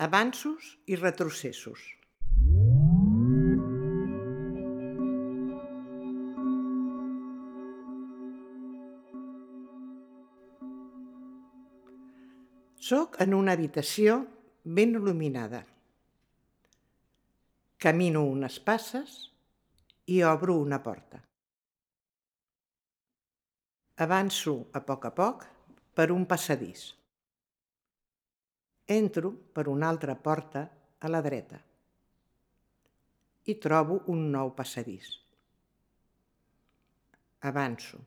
Avanços i retrocessos. Soc en una habitació ben il·luminada. Camino unes passes i obro una porta. Avanço a poc per un passadís. Entro per una altra porta a la dreta i trobo un nou passadís. Avanço.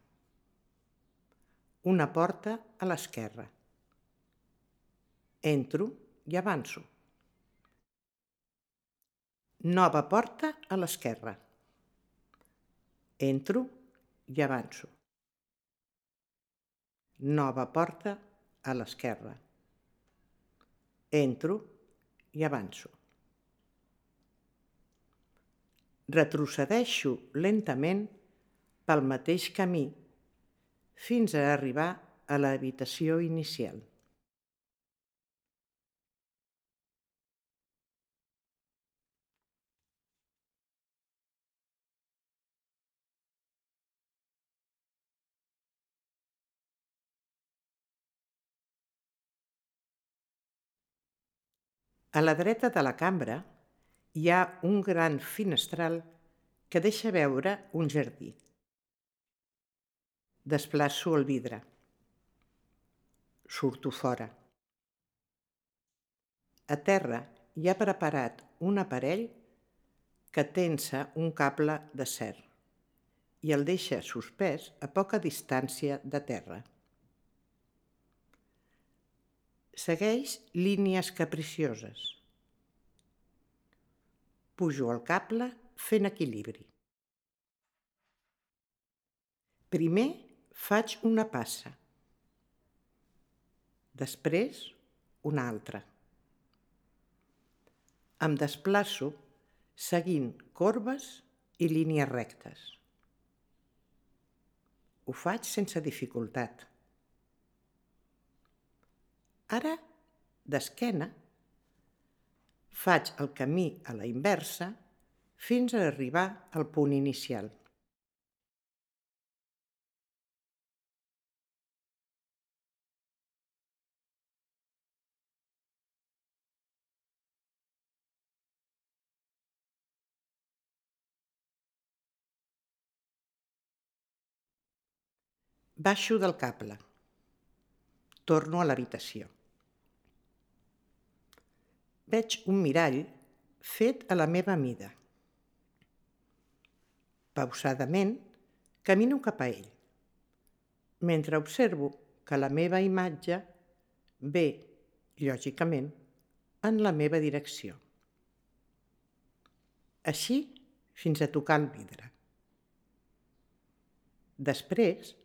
Una porta a l'esquerra. Entro i avanço. Nova porta a l'esquerra. Entro i avanço. Nova porta a l'esquerra. Entro i avanço. Retrocedeixo lentament pel mateix camí fins a arribar a l'habitació inicial. A la dreta de la cambra hi ha un gran finestral que deixa veure un jardí. Desplaço el vidre. Surto fora. A terra hi ha preparat un aparell que tensa un cable d'acer i el deixa suspès a poca distància de terra. Segueix línies capricioses. Pujo el cable fent equilibri. Primer faig una passa. Després una altra. Em desplaço seguint corbes i línies rectes. Ho faig sense dificultat. Ara, d'esquena, faig el camí a la inversa fins a arribar al punt inicial. Baixo del cable. Torno a l'habitació. Veig un mirall fet a la meva mida. Pausadament camino cap a ell, mentre observo que la meva imatge ve, lògicament, en la meva direcció. Així fins a tocar el vidre. Després,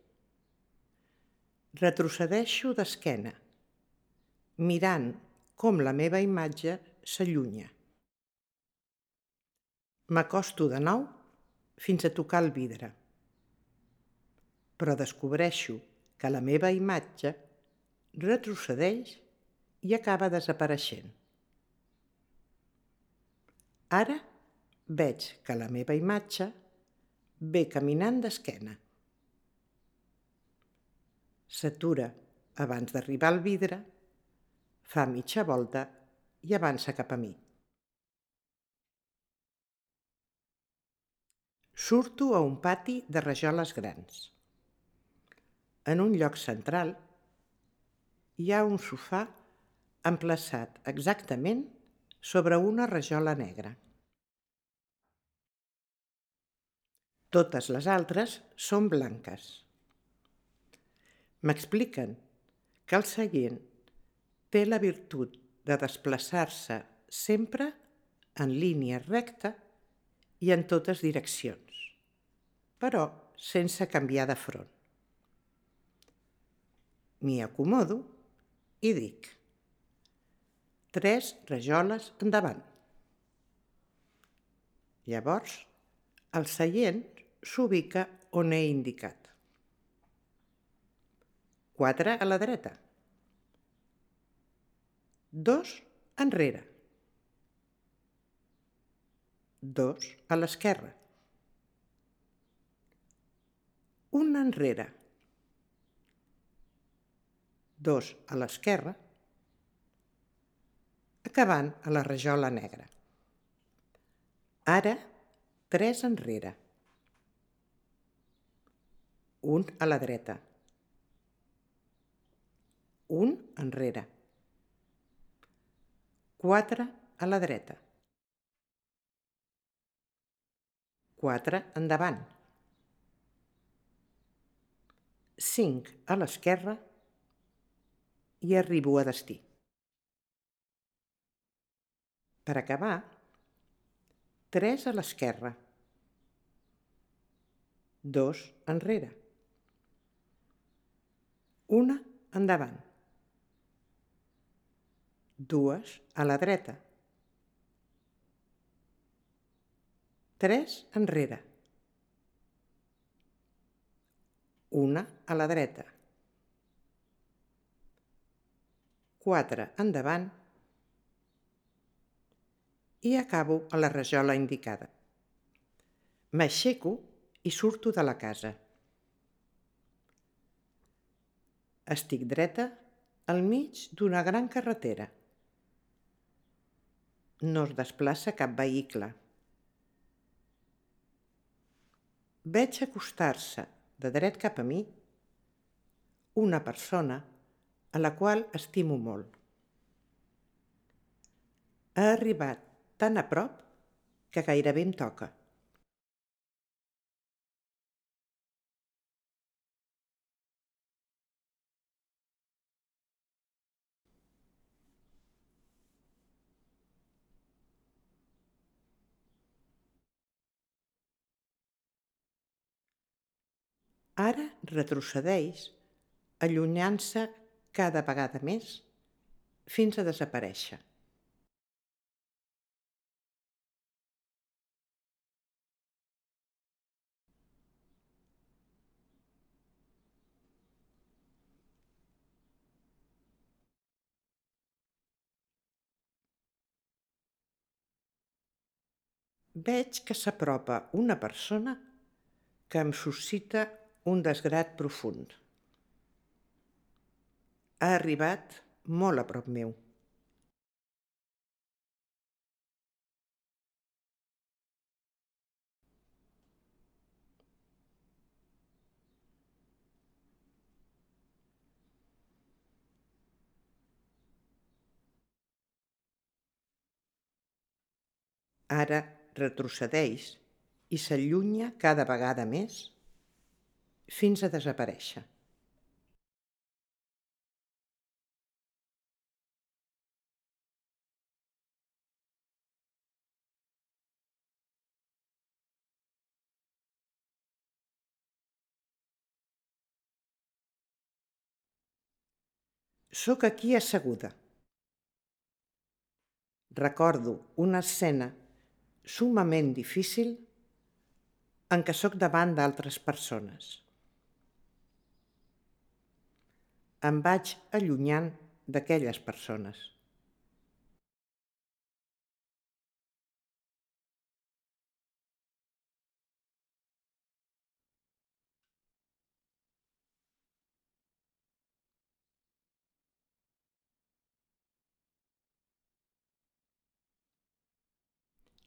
retrocedeixo d'esquena, mirant com la meva imatge s'allunya. M'acosto de nou fins a tocar el vidre, però descobreixo que la meva imatge retrocedeix i acaba desapareixent. Ara veig que la meva imatge ve caminant d'esquena. S'atura abans d'arribar al vidre, fa mitja volta i avança cap a mi. Surto a un pati de rajoles grans. En un lloc central hi ha un sofà emplaçat exactament sobre una rajola negra. Totes les altres són blanques. M'expliquen que el seient té la virtut de desplaçar-se sempre en línia recta i en totes direccions, però sense canviar de front. M'hi acomodo i dic: 3 rajoles endavant. Llavors, el seient s'ubica on he indicat. 4 a la dreta. 2 enrere. 2 a l'esquerra. 1 enrere. 2 a l'esquerra, acabant a la rajola negra. Ara, 3 enrere. 1 a la dreta. 1 enrere. 4 a la dreta. 4 endavant. 5 a l'esquerra i arribo a destí. Per acabar, 3 a l'esquerra. 2 enrere. 1 endavant. 2 a la dreta. 3 enrere. 1 a la dreta. 4 endavant i acabo a la rajola indicada. M'aixeco i surto de la casa. Estic dreta al mig d'una gran carretera. No es desplaça cap vehicle. Veig acostar-se de dret cap a mi una persona a la qual estimo molt. Ha arribat tan a prop que gairebé em toca. Ara retrocedeix, allunyant-se cada vegada més fins a desaparèixer. Veig que s'apropa una persona que em suscita un desgrat profund. Ha arribat molt a prop meu. Ara retrocedeix i s'allunya cada vegada més fins a desaparèixer. Sóc aquí asseguda. Recordo una escena summament difícil en què sóc davant d'altres persones. Em vaig allunyant d'aquelles persones.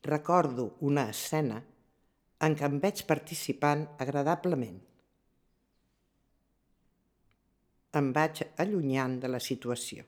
Recordo una escena en què em veig participant agradablement. Em vaig allunyant de la situació.